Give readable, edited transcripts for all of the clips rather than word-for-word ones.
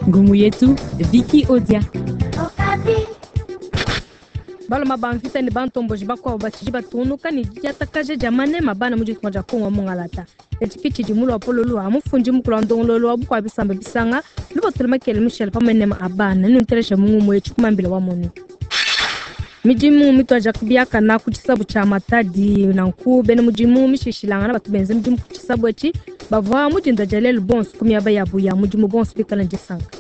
Ngumu yetu Vicky Odia. Baluma ba mvita ne bantomboji bakuabu batshidi batungunuka ne didiatakaja dia manema bana mu ditunga dia Kongo wa mungalata. Etshi ke tshidi mu luapolo lua mufundi mukulu wa ndongoluelu wa bukua bisamba bisanga lupatula makele mushale pa manema a bana ne mu ngumu etshi kumambila wa monu. Midimu mituadija biakana ku tshisabu tshia Matadi nanku bena mudimu mishishilangana batu benza midimu ku tshisabu etshi bavua mu dinda dia lelu bonso ku miaba yabu ya mudimu bonso bikala ne disanka.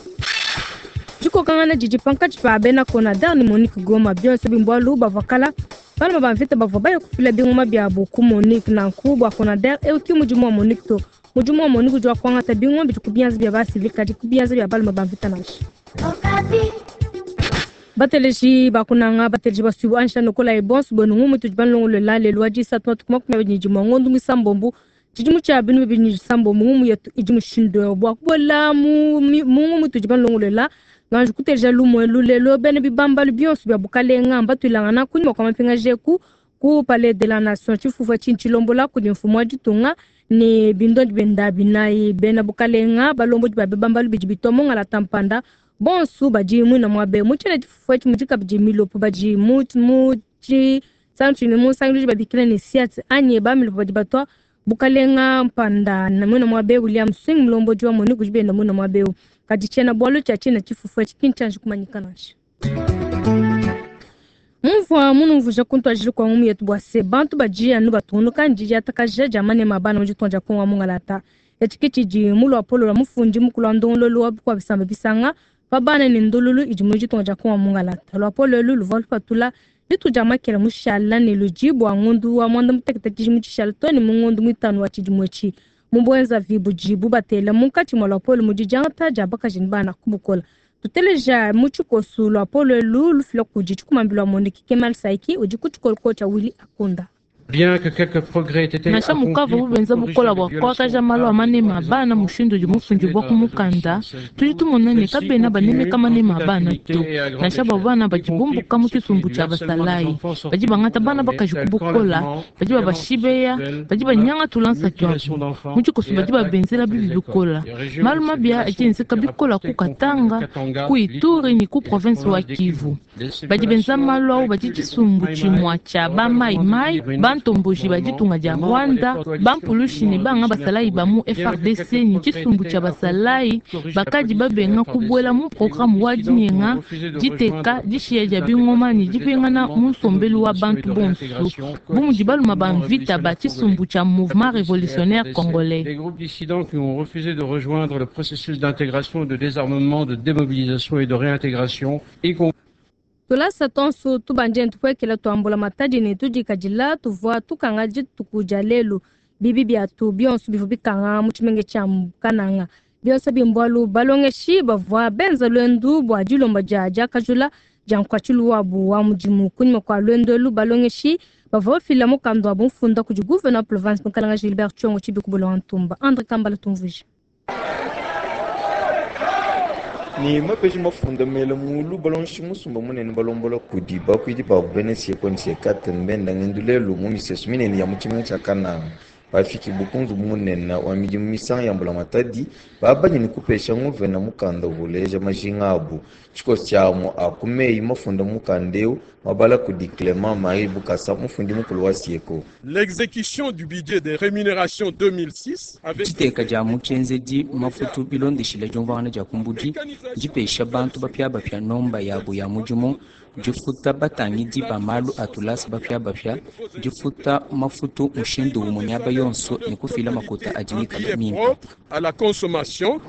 Dikokangana didi pankatshi pa bena Conader ne Monique Goma bionso bimbualu bavua kala baluma ba mvita bavua baya kufila bingoma biabu ku Monique nanku bua Conader eu ki mudimu wa Monique to. Mudimu wa Monique udi wa kuangata bingoma bidi ku bianza bia basivili kadi ku bianza bia baluma ba mvita nansha. Bateleji bakunanga bateleji basuibu ansha nokola bonso bwenu ngumu tudi banlongolola lelu wa disatu matuku 21 ngondu mwisambombu tshidimu tshia binu bibidi ne disambombo ngumu yetu idi mushindu bua kubuela mu ngumu tudi banlongolola nganji kuteleja lumue lulelo bena bibambalu bionso bia bukalenga mbatuilangana kunyima kua mapingajeku ku palais de la nation tshifufu tshini tshilombola kudi mfumu wa ditunga ne bindondi benda binayi bena bukalenga balombodi ba bibambalu bidi bitua mongala tampanda bonso badi mwina muabe mu tshiena tshifufu etshi mudi kabidi milopo badi mu tshi mu sangilu babikila ne siat anyi ba milopo badi batua bukalenga mpanda na mwina muabe William Swing mulombodi wa moni kudi benda mwina muabe kadi tshiena bualu tshia tshiena tshifufu etshi ki ntshianji kumanyika nansha. Mumvua munumvuija kuntuadijile kua ngumu yetu bua se bantu badi anu batungunuka ne didiatakaja dia manema bana mu ditunga dia Kongo wa mungalata. Etshi ke tshidi mu luapolo lua mufundi mukulu wa ndongoluelu wa bukua bisamba bisanga pa bana ne ndululu idi mu ditunga dia Kongo wa mungalata. Luapolo elu luvua lupatula dituku dia makela mushala ne ludi bua ngondu wa mwanda mutekete tshidimu tshishala to ne mu ngondu muitanu wa tshidimu etshi. Mu buenzavi budibu batela munkatshi mua luapolo mudi diangata dia bakaji ne bana ku bukola. Tuteleja mu tshikosu luapolo elu lufila kudi tshikumambila wa Monique Kemal Saiki udi ku tshikoloko tshia Willy Akunda. Bien que quelques progrès aient été Nansha mukava bubenza bukola bua kuakaja malu a manema a bana mushindu udi mufundi bua kumukanda tudi tumona ne kabena banemeka manema a bana to nansha bua bana badi bumbuka mu tshisumbu tshia basalayi badi bangata bana bakaji ku bukola badi babashibeya badi banyanga tulansa tuabu mu tshikoso badi babenzela bibi bikola malu mabi adi enzeka bikola ku Katanga ku Ituri ne ku province wa Kivu badi benza malu au badi tshisumbu tshimua tshia ba mai mai bantomboji ba ditunga dia Rwanda bampulushi ne banga basalayi ba mu FRDC ne tshisumbu tshia basalayi bakadi babenga kubuela mu programme wa dinyenga diteka dishiya dia bingoma ne dipingana mu nsombelu wa bantu bonso bu mudi baluma ba mvita ba tshisumbu tshia mouvement révolutionnaire congolais. Les groupes dissidents qui ont refusé de rejoindre le processus d'intégration, de désarmement, de démobilisation et de réintégration, y compris Tulasa tonso tubanje ntupuekela tuambula matadi ne tudikadila tuvua tukanga dituku dia lelu bibi biatu bionso bivua bikanga mu tshimenge tshia Kananga bionso bimbualu balongeshi bavua benza lwendu bua dilomba dia diakajula dia nkuatshilu wabu wa mudimu kunyima kua lwendu elu balongeshi bavua bafila mukanda wa bumfunda kudi gouverneur province Mukalanga Gilbert Tshiongo Tshibikubula wa Ntumba Andre Kambala tumvuija. Ni mapeji mafunda mele mulu balonshi musumba munene balombola kudi bakwidi babu bene sieko ni siekate mbenda ngendu lelu mu misesu minene ya mu tshimenga tshia Kananga bafiki bukunzu munene wa midimu misanga ya mbula matadi babanye ni kupesha nguvena mukanda uvuleja majinga abu tshikoso tshiamu akumeyi mafunda mukanda eu mabala kudi Clément Marie Bukasa mufundi mukulu wa sieko. L'exécution du budget des rémunérations 2006 avec Tshiteka dia mutshenzedi mafutu bilondeshile diumvuangana dia kumbudi dipesha bantu bapiabapia nomba yabo ya mudimu difuta batangidi ba malu a tulasa bapiabapia difuta mafutu mushindu umue miaba yonso ne kufila makota adi mikale mimpe. propre à la consommation.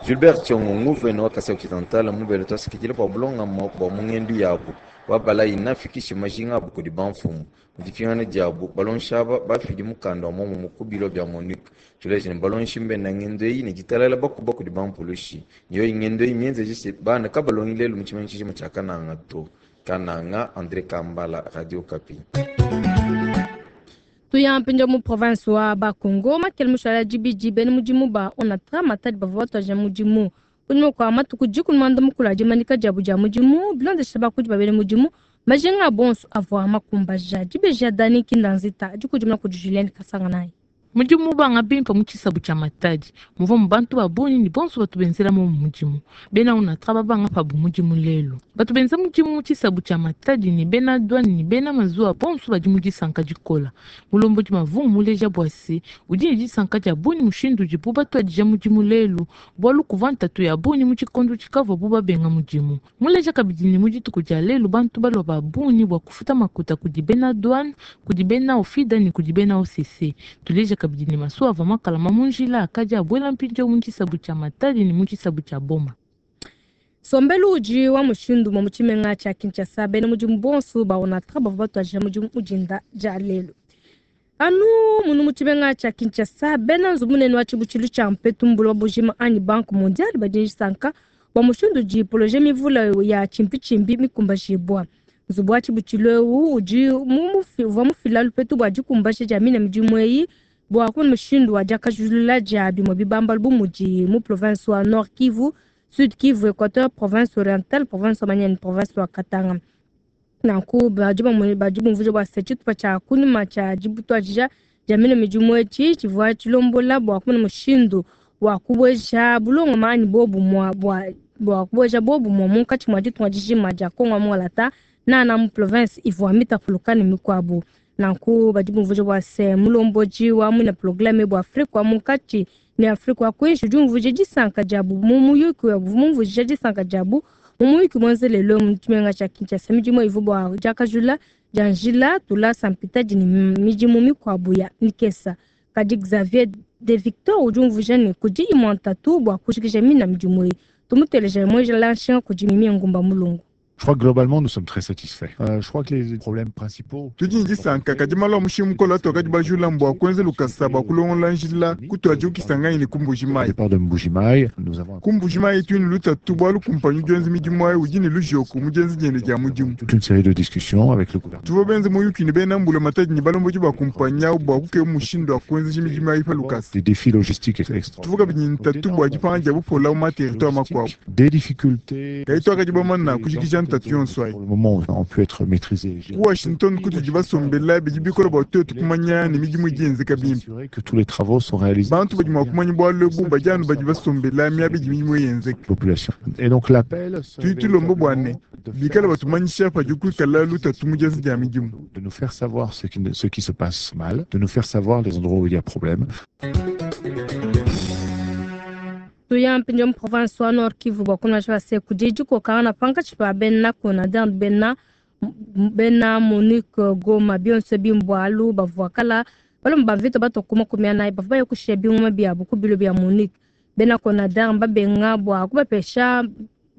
Gilbert Tshiongo nguvena wa Kasai Occidental mubele twasikidile bua bulongama bua mungendu yabu wabala inafikishe majinga abu kudi bamfumu mudipingana diabu balonshi aba bafidi mukanda wa momumu ku bilo bia Monique tuleje ne balonshi mbena ngendo eyi ne ditalala bakuba kudi bampulushi niyo ingendo eyi mienzeje bana kabalongi lelu mu tshimenga tshijima tshia Kananga to. Kananga, André Kambala, Radio Okapi. Tuya mpinja mu province wa Bakongo makele mushala dibidi bena mudimu ba Onatra Matadi bavua batuadija mudimu kunyima kua matuku dikumi muanda mukulu a dimanyika diabu dia mudimu bilondesha bakudi ba bena mudimu majinga bonso avua makumbaja dibeji ya Dani Kindanzita dikudimuna kudi Julien Kasanganayi. Mudimu mubanga bimpe mu tshisabu tshia Matadi muvua mu bantu ba bungi ne bonso batu benzela mu mudimu. Bena Onatra babanga pabu mudimu lelu. Batu benza mudimu mu tshisabu tshia Matadi ne bena douane ne bena mazuwa bonso badi mu disanka dikola. Mulombodi Mavungu muleja bua se udi ne disanka dia bungi mushindu udibu batuadija mudimu lelu bualu kuvua ntatu ya bungi mu tshikondo tshikavuabu babenga mudimu. Muleja kabidi ne mu dituku dia lelu bantu balua ba bungi bua kufuta makuta kudi bena douane, kudi bena Ofida ne kudi bena OCC. Tuleja kabidi ne masuwa avua makalama mu njila akadi abuela mpindieu mu tshisabu tshia Matadi ne mu tshisabu tshia Boma. Nsombelu udi wa mushindu umue mu tshimenga tshia Kinshasa. Bena mudimu bonso ba Onatra bavua batuadija mudimu mu dinda dia lelu. Anu munu mu tshimenga tshia Kinshasa, bena nzubu munene wa tshibutshilu tshia mpetu mu buloba bujima anyi Banque mondiale badi ne disanka bua mushindu udi poloje mivule ya tshimpitshimpi mikumbajibua. Nzubu wa tshibutshilu eu udi uvua mufila lupetu bua dikumbaja dia mine midimu eyi bua kumona mushindu wa diakajulula dia bimue bibambalu bu mudi mu province wa Nord Kivu, Sud Kivu, Equateur, province orientale, province wa Maniema ne province wa Katanga. Nanku badi badi bumvuija bua se tshitupa tshia kunyima tshia dibutuadija dia mine midimu etshi tshivua tshilombola bua kumona mushindu wa kubueja bulongama anyi bobumue bua kubueja bobumue munkatshi mua ditunga dijima dia Kongo wa Mungalata nana mu province ivua mitapuluka ne mikuabu. Nanku badi bumvuija bua se mulombodi wa muina programe bua Afrika wa munkatshi ne Afrika wa kuinshi udi umvuija disanka diabu mu muyuki mumvuija disanka diabu mu muyuki muenza lelu mu tshimenga tshia Kinshasa. Midimu ivua bua diakajula dia njila tulasa mpitadi ne midimu mikuabu ya mikesa. Kadi Xavier de Victor udi umvuija ne kudi imue ntatu bua kujikija mina midimu eyi. Tumuteleja muenjela nshinga kudi Mimi Ngumba Mulungu. Je crois que globalement, nous sommes très satisfaits. Je crois que les problèmes principaux... Tudi ne disanka kadi malu a mushinga mukole atuakadi bajula mbua kuenza lukasa bua kulongola njila kutuadi kukisangani ne ku Mbujimayi. Départ de Mbujimayi, nous avons... Ku Mbujimayi tudi ne lutatu bualu kumpanyi udi wenza midimu ayi udi ne lujoku mu dienza diende dia mudimu. Toute une série de discussions avec le gouvernement. Tuvua benze muyuki ne bena mbulamatadi ne balombodi ba kumpanyi awu bua kukeba mushindu wa kuenzeja midimu ayi pa lukasa. Des défis logistiques extraordinaires. Tuvua kabidi ne ntatu bua dipanga dia bupola mu ma-territoire makuabu. Des difficultés... Kadi tuakadi bamana kujikija ntatu yonso ayi. Pour le moment, on peut être maîtrisé. Ku Washington kutudi basombela bidi bikola bua tuetu kumanya ne midimu idi yenzeka bimpe. Assurer que tous les travaux sont réalisés. Bantu badi mua kumanya bualu ebu badi anu badi basombela miaba idi midimu yenzeka. Population. Et donc l'appel Tudi tulomba bua ne bikale batumanyisha padi kuikala lutatu mu dienza dia midimu. de nous faire savoir ce qui se passe mal, de nous faire savoir les endroits où il y a problème. Tuya mpindieu mu province wa Nord Kivu bua kumanya bua se kudi dikokangana pankatshi pa bena Konader bena bena Monique Goma bionso bimbualu bavua kala balomba ba mvita batua ku makumi anayi bavua baya kushiya bingoma biabu ku bilo bia Monique. Bena Konader mbabenga bua kubapesha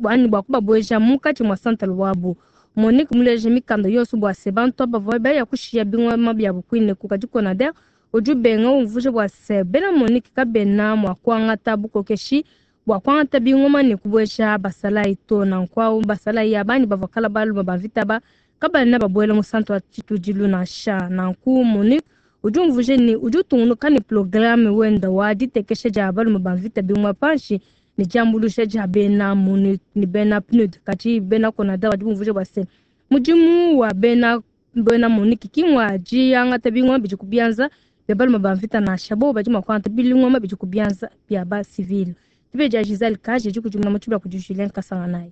anyi bua kubabueja munkatshi mua santale wabu. Monique muleje mikanda yonso bua se bantu aba bavua baya kushiya bingoma biabu kuineku kadi Konader udi ubenga umvuija bua se bena Monique kabena mua kuangata bukokeshi bua kuangata bingoma ne kubueja basalayi to. Nanku awu basalayi abani bavua kala baluma ba mvita ba kabena babuela mu santu wa tshitudilu nansha. Nanku Monique udi umvuija ne udi utungunuka ne programe wenda wa ditekesha dia balume ba mvita bingoma panshi ne diambuluisha dia bena Monique ne bena PNUD. Kadi bena Konader badi bumvuija bua se mudimu wa bena Monique ki ngua diangata bingoma bidi ku bianza bia balume ba mvita nansha bo badi mua kuangata bilingoma bidi ku bianza bia ba civil. Dibe dia Giselle Kaje di kudimuna mu tshibula kudi Julien Kasanganayi.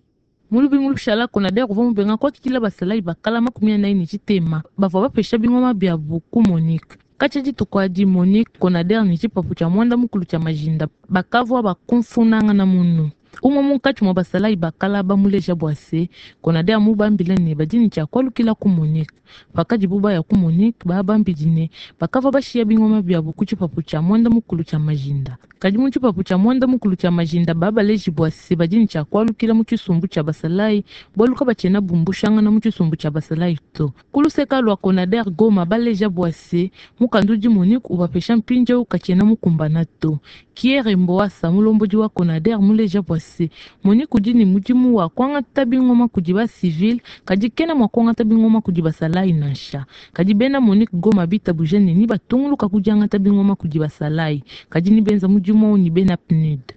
Mulubi mulushala Konader uvua mubenga kuakidila basalayi bakala 43 bavua bapesha bingoma biabu ku Monique. Katshia dituku adi Monique Konader ne tshipapu tshia mwanda mukulu tshia majinda bakavua bakumfunangana munu. Umwe munkatshi mua basalayi bakala bamuleja bua se Konader mubambile ne badi ne tshia kualukila ku Monique. Pakadibu baya ku Monique babambidi ne bakavua bashiya bingoma biabu ku tshipapu tshia mwanda mukulu tshia majinda. Kadi mu tshipapu tshia mwanda mukulu tshia majinda babaleji bua se badi ne tshia kualukila mu tshisumbu tshia basalayi bualu kabatshiena bumbushangana mu tshisumbu tshia basalayi to. Kuluseka lua Konader Goma baleja bua se mukandu udi Monique ubapesha mpindieu katshiena mukumbana to. Kiere Mboasa mulombodi wa Konader muleja bua se Monique udi ne mudimu wa kuangata bingoma kudi ba civil kadi kena mua kuangata bingoma kudi basalayi nansha. Kadi bena Monique Goma bitabuja ne ni batunguluka kudiangata bingoma kudi basalayi kadi ni benza mudimu ni bena PNUD.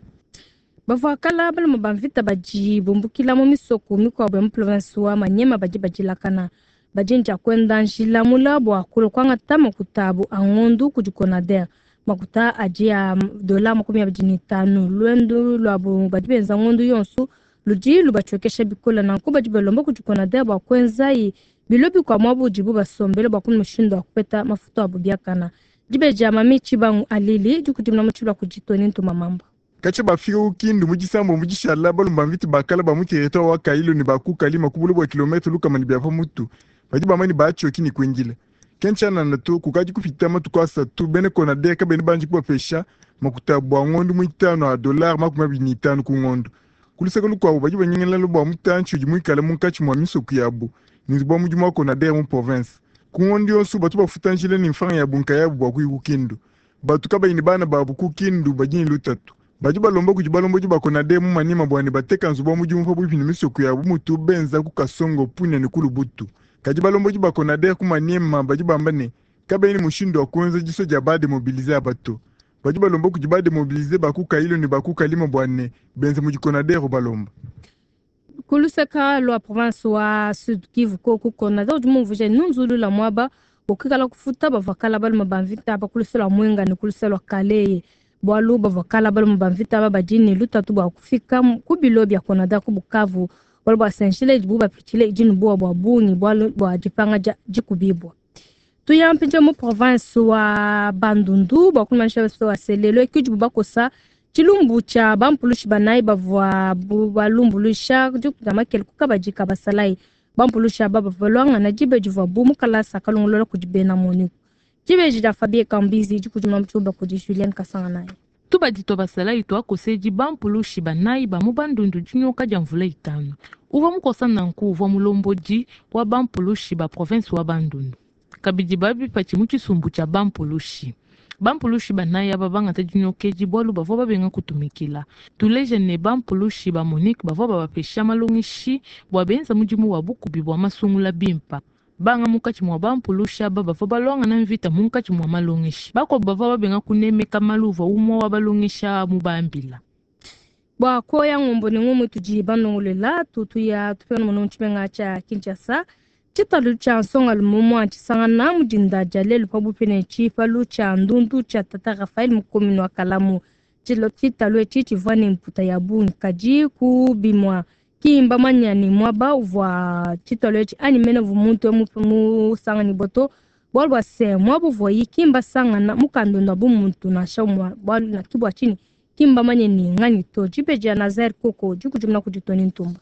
Bavua kala balume ba mvita badi bumbukila mu misoko mikuabu ya mu province wa Maniema badi badilakana. Badi nja kuenda njila mula bua kulua kuangata makuta abu a ngondu kudi Konader. Makuta adi a dola 25. Luendu luabu badi benza ngondu yonso ludi lubatshiokesha bikole. Nanku badi balomba kudi Konader bua kuenzayi bilo bikua muaba udibu basombele bua kumona mushindu wa kupeta mafuta abu biakana. Dibeji dia Mami Tshibangu Alili dikudimuna mu tshilua kudi Tony Ntuma Mamba. Katshia bafika ku Kindu mu disambo mu dishala, balomba mvita bakala ba mu territoire wa Kailo ne ba ku Kalima ku bule bua kilometre lukama ne bia pa mutu. Badi bamba ne batshioki ne kuindila. Ke ntshianana to, kukadi kupita matuku asatu, bena Konader kabena banji kubapesha makuta bua ngondu muitanu a dollar 25 ku ngondu. Ku luseke lukuabu badi banyingalala bua mutantshi udi muikale munkatshi mua misoko yabu ne nzubu wa mudimu wa Konader mu province. Ku ngondu yonso batu bafuta njila ne mfranga yabu nkayabu bua kuya ku Kindu. Batu kabayi ne bana babu ku Kindu badi ne lutatu. Badi balomba kudi balombodi ba Konader mu Maniema bua ne bateka nzubu wa mudimu pabuipi ne misoko yabu mutu benza ku Kasongo, Punia ne ku Lubutu. Kadi balombodi ba Konader ku Maniema badi bamba ne kabayi ne mushindu wa kuenza disua dia ba demobilize aba to. Badi balomba kudi ba demobilize ba ku Kailo ne ba ku Kalima bua ne benze mudi Konader ubalomba. Ku luseka lua province wa Sud Kivu koku Konader udi mumvuija nunzulula muaba bua kuikala kufuta bavua kala balume ba mvita aba ku luse lua Mwenga ne ku luse lua Kaleye. Bualu bavua kala balume ba mvita aba badi ne lutatu bua kufika ku bilo bia Konader ku Bukavu. Bualu bua se njila idibu bapitshile idi ne buowa bua bungi bualu bua dipanga dia dikubibua. Tuya mpindieu mu province wa Bandundu bua kumanyisha wa se lelo ke udibu bakosa tshilumbu tshia bampulushi banayi bavua balumbuluisha dikuta makele ku kabadi ka basalayi. Bampulushi aba bavua baluangana diba divuabu mu kalasa kalongolola kudi bena MONUC. Dibeji dia Fabien Kambizi dikudimuna mu tshiluba kudi Julienne Kasanganayi. Tubadi tua basalayi tuakosedi bampulushi banayi ba mu Bandundu dinyoka dia mvula itanu. Uvua mukosa nanku uvua mulombodi wa bampulushi ba province wa Bandundu. Kabidi babipatshi mu tshisumbu tshia bampulushi. Bampulushi banayi aba bangata dinyokedi bualu bavua babenga kutumikila. Tuleje ne bampulushi ba MONUC bavua babapesha malongeshi bua benza mudimu wa bukubi bua masungula bimpa. Banga munkatshi mua bampulushi aba bavua baluangana mvita munkatshi mua malongeshi. Bakuabu bavua babenga kunemeka malu uvua umue wa balongesha mubambila. Bua koya ngombo ne ngumu tudi banongolela tutuya tupena muno mu tshimenga tshia Kinshasa. Tshitalu tshia nsongalume umue tshisangana mu dinda dia lelu pabuipi ne tshipalu tshia ndundu tshia Tata Raphael mu commune wa Kalamu. Tshitalu etshi tshivua ne mputa ya bungi kadi ku bimua ki mbamanya ne muaba uvua tshitalu etshi anyi mene uvua muntu musanganyibua to. Bualu bua se muaba uvuayi ki mbasangana mukandonda bu muntu nansha umue bualu na ki bua tshinyi ki mbamanye ne nganyi to. Dibeji ya Nazaire Koko dikudimuna kudi Tony Ntumba.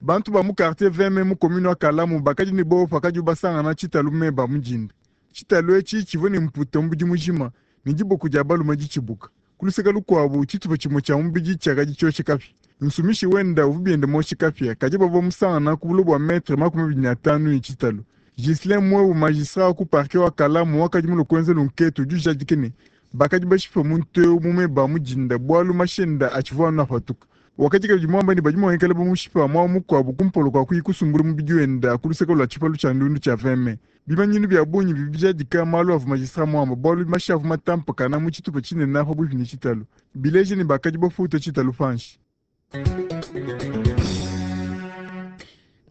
Bantu ba mu quartier 20 mu commune wa Kalamu bakadi ne bowa pakadi basangana tshitalu meba mu dinda. Tshitalu etshi tshivua ne mputa mubidi mujima ne diboko dia balume ditshibuka. Ku luseke lukuabu tshitupa tshimue tshia mubidi tshiakadi tshioshe kapia. Nsumishi wenda uvua biende moshe kapia kadi bavua musangana ku bule bua metre 25 ne tshitalu. Ghislain Mwewu magistrat wa ku parquet wa Kalamu wakadi mulue kuenza lunketu udi ujadika ne bakadi bashipa muntu eu mu meba mu dinda bualu mashenda atshivua anu apatuka. Wakadi kabidi muamba ne badi mua kuikala bamushipa muaba mukuabu kumpala kua kuyi kusumbula mubidi wenda ku luseke lua tshipalu tshia ndundu tshia 20 mai. Bimanyinu bia bungi bidi bijadika malu avua magistrat muamba bualu mashi avua matampakana mu tshitupa tshinene pabuipi ne tshitalu. Bileja ne bakadi bafuta tshitalu panshi.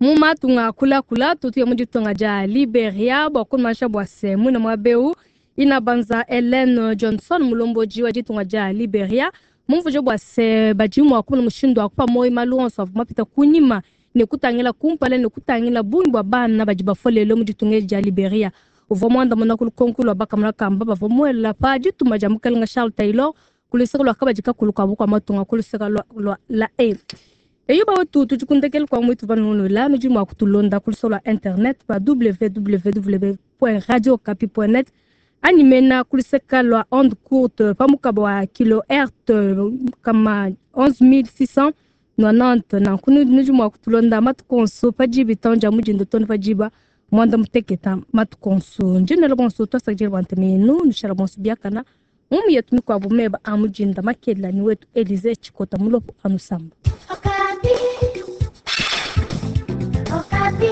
Mu matunga kulakula tutuya mu ditunga dia Liberia bua kumanyisha bua se muina muaba eu Inabanza Ellen Johnson mulombodi wa ditunga dia Liberia mumvuje bua se badi mua kumona mushindu wa kupa moyo malu onso avua mapita kunyima ne kutangila kumpala ne kutangila bungi bua bana badi bafua lelo mu ditunga edi dia Liberia. Uvua muandamuna ku lukonko lua bakamona kamba bavua muela pa dituma dia mukalenga Charles Taylor ku luseke lua kabadi kakulu ka bukua matunga ku luseke lua la E. Eyo bawetu tudi ku ndekelu kua muitu vanunula nudi mua kutulonda ku luseke lua internet pa www.radiokapi.net anyi mena ku luseke lua onde courte pa mukaba wa kilohertz kama 11690. Nanku nudi mua kutulonda matuku onso pa diba itanu dia mudindo too ne pa diba mwanda muteketa matuku onso. Ndinela bonso twasakidila bua ntema yenu nushala bonso biakana mumu yetu mikuabu meba a mudinda makela ni wetu Elize Tshikota mulopo anusamba. Okapi. Okapi.